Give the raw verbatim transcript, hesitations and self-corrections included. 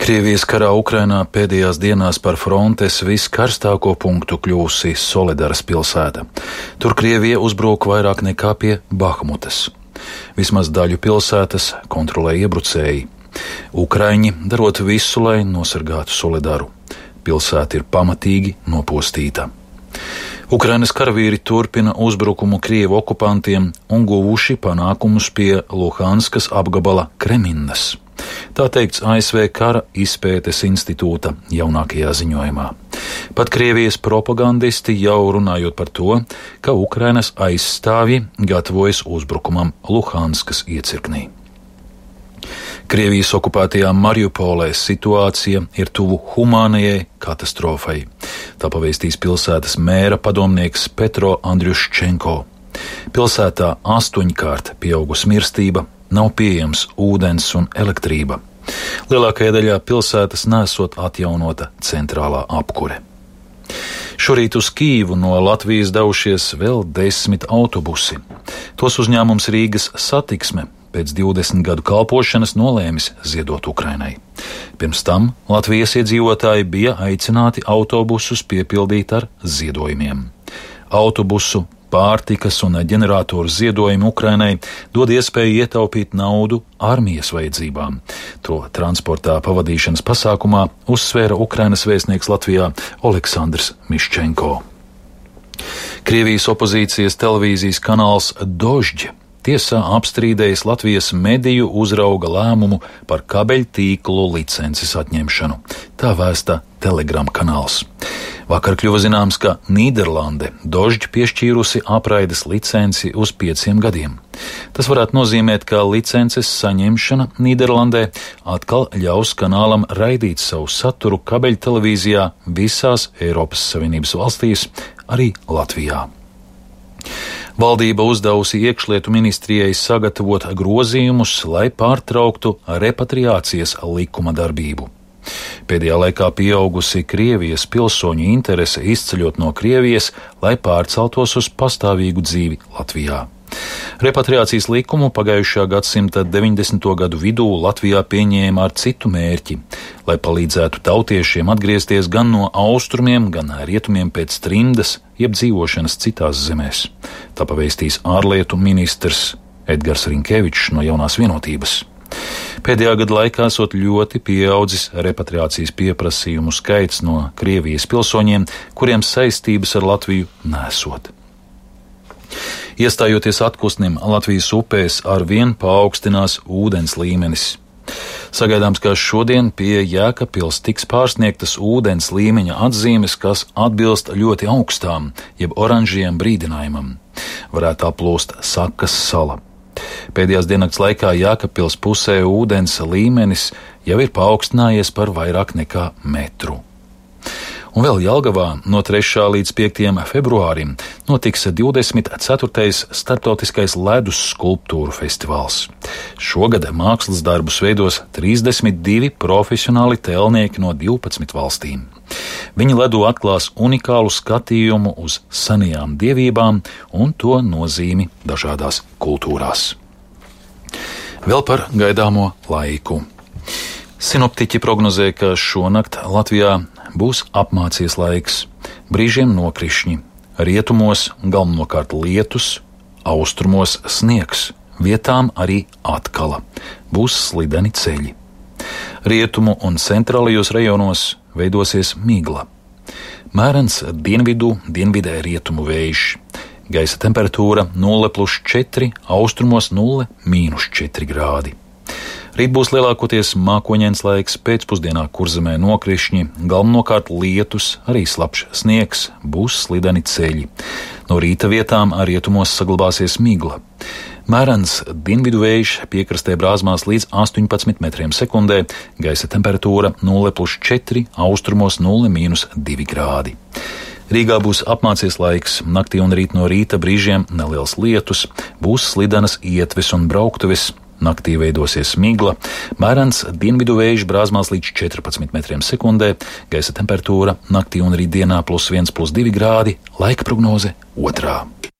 Krievijas karā Ukrainā pēdējās dienās par frontes viskarstāko punktu kļūsi Soledaras pilsēta. Tur Krievija uzbruka vairāk nekā pie Bahmutas. Vismaz daļu pilsētas kontrolē iebrucēji. Ukraiņi darot visu, lai nosargātu Soledaru. Pilsēta ir pamatīgi nopostīta. Ukrainas karavīri turpina uzbrukumu Krievu okupantiem un guvuši panākumus pie Luhanskas apgabala Kreminnas. Tā teikts A S V Kara izpētes institūta jaunākajā ziņojumā. Pat Krievijas propagandisti jau runājot par to, ka Ukrainas aizstāvji gatavojas uzbrukumam Luhanskas iecirknī. Krievijas okupētajā Mariupolē situācija ir tuvu humānajai katastrofai. Tā pavēstīs pilsētas mēra padomnieks Petro Andriuščenko. Pilsētā astoņkārt pieaugusi mirstība, nav pieejams ūdens un elektrība. Lielākajā daļā pilsētas nesot atjaunota centrālā apkure. Šorīt uz Kīvu no Latvijas devušies vēl desmit autobusi. Tos uzņēmums Rīgas Satiksme pēc divdesmit gadu kalpošanas nolēmis ziedot Ukrainai. Pirms tam Latvijas iedzīvotāji bija aicināti autobusus piepildīt ar ziedojumiem. Autobusu, pārtikas un ģeneratoru ziedojumi Ukrainai dod iespēju ietaupīt naudu armijas vajadzībām. To transportā pavadīšanas pasākumā uzsvēra Ukrainas vēstnieks Latvijā Oleksandrs Miščenko. Krievijas opozīcijas televīzijas kanāls Dožģi tiesā apstrīdējis Latvijas mediju uzrauga lēmumu par kabeļtīklu licences atņemšanu. Tā vēsta Telegram kanāls. Vakar kļuva zināms, ka Nīderlande Dožģi piešķīrusi apraides licenci uz pieciem gadiem. Tas varētu nozīmēt, ka licences saņemšana Nīderlandē atkal ļaus kanālam raidīt savu saturu kabeļtelevīzijā visās Eiropas Savienības valstīs, arī Latvijā. Valdība uzdevusi iekšlietu ministrijai sagatavot grozījumus, lai pārtrauktu repatriācijas likuma darbību. Pēdējā laikā pieaugusi Krievijas pilsoņu interese izceļot no Krievijas, lai pārceltos uz pastāvīgu dzīvi Latvijā. Repatriācijas likumu pagājušā gadsimta deviņdesmito gadu vidū Latvijā pieņēma ar citu mērķi, lai palīdzētu tautiešiem atgriezties gan no austrumiem, gan rietumiem pēc trimdas, jeb dzīvošanas citās zemēs. Tā pavēstīs ārlietu ministrs Edgars Rinkevičs no Jaunās vienotības. Pēdējā gada laikā esot ļoti pieaudzis repatriācijas pieprasījumu skaits no Krievijas pilsoņiem, kuriem saistības ar Latviju nesot. Iestājoties atpūsnim Latvijas upēs, arvien paaugstinās ūdens līmenis. Sagaidāms, ka šodien pie Jēkabpils tiks pārsniegtas ūdens līmeņa atzīmes, kas atbilst ļoti augstām, jeb oranžajam brīdinājumam. Varētu aplūst Sakas sala. Pēdējās diennakts laikā Jēkabpils pusē ūdens līmenis jau ir paaugstinājies par vairāk nekā metru. Un vēl Jelgavā no trešā līdz piektajam februārim notiks divdesmit ceturtais starptautiskais ledus skulptūru festivāls. Šogad mākslas darbus veidos trīsdesmit divi profesionāli tēlnieki no divpadsmit valstīm. Viņi ledu atklās unikālu skatījumu uz senajām dievībām un to nozīmi dažādās kultūrās. Vēl par gaidāmo laiku. Sinoptiķi prognozē, ka šonakt Latvijā būs apmācies laiks, brīžiem nokrišņi, rietumos galvenokārt lietus, austrumos sniegs, vietām arī atkala, būs slideni ceļi. Rietumu un centrālajos rajonos veidosies migla. Mērens dienvidu, dienvidē rietumu vējš, gaisa temperatūra nulle plus četri, austrumos nulle mīnus četri grādi. Rīt būs lielākoties mākoņains laiks, pēcpusdienā Kurzemē nokrišņi, galvenokārt lietus, arī slapjš sniegs, būs slideni ceļi. No rīta vietām rietumos saglabāsies migla. Mērens dienvidu vējš piekrastē brāzmās līdz astoņpadsmit metriem sekundē, gaisa temperatūra nulle plus četri, austrumos nulle mīnus divi grādi. Rīgā būs apmācies laiks, naktī un rīt no rīta brīžiem neliels lietus, būs slidenas ietves un brauktuves. Naktī veidosies migla, mērens dienvidu vējš brāzmās līdz četrpadsmit metriem sekundē, gaisa temperatūra naktī un rītdienā plus viens plus divi grādi, laika prognoze otrā.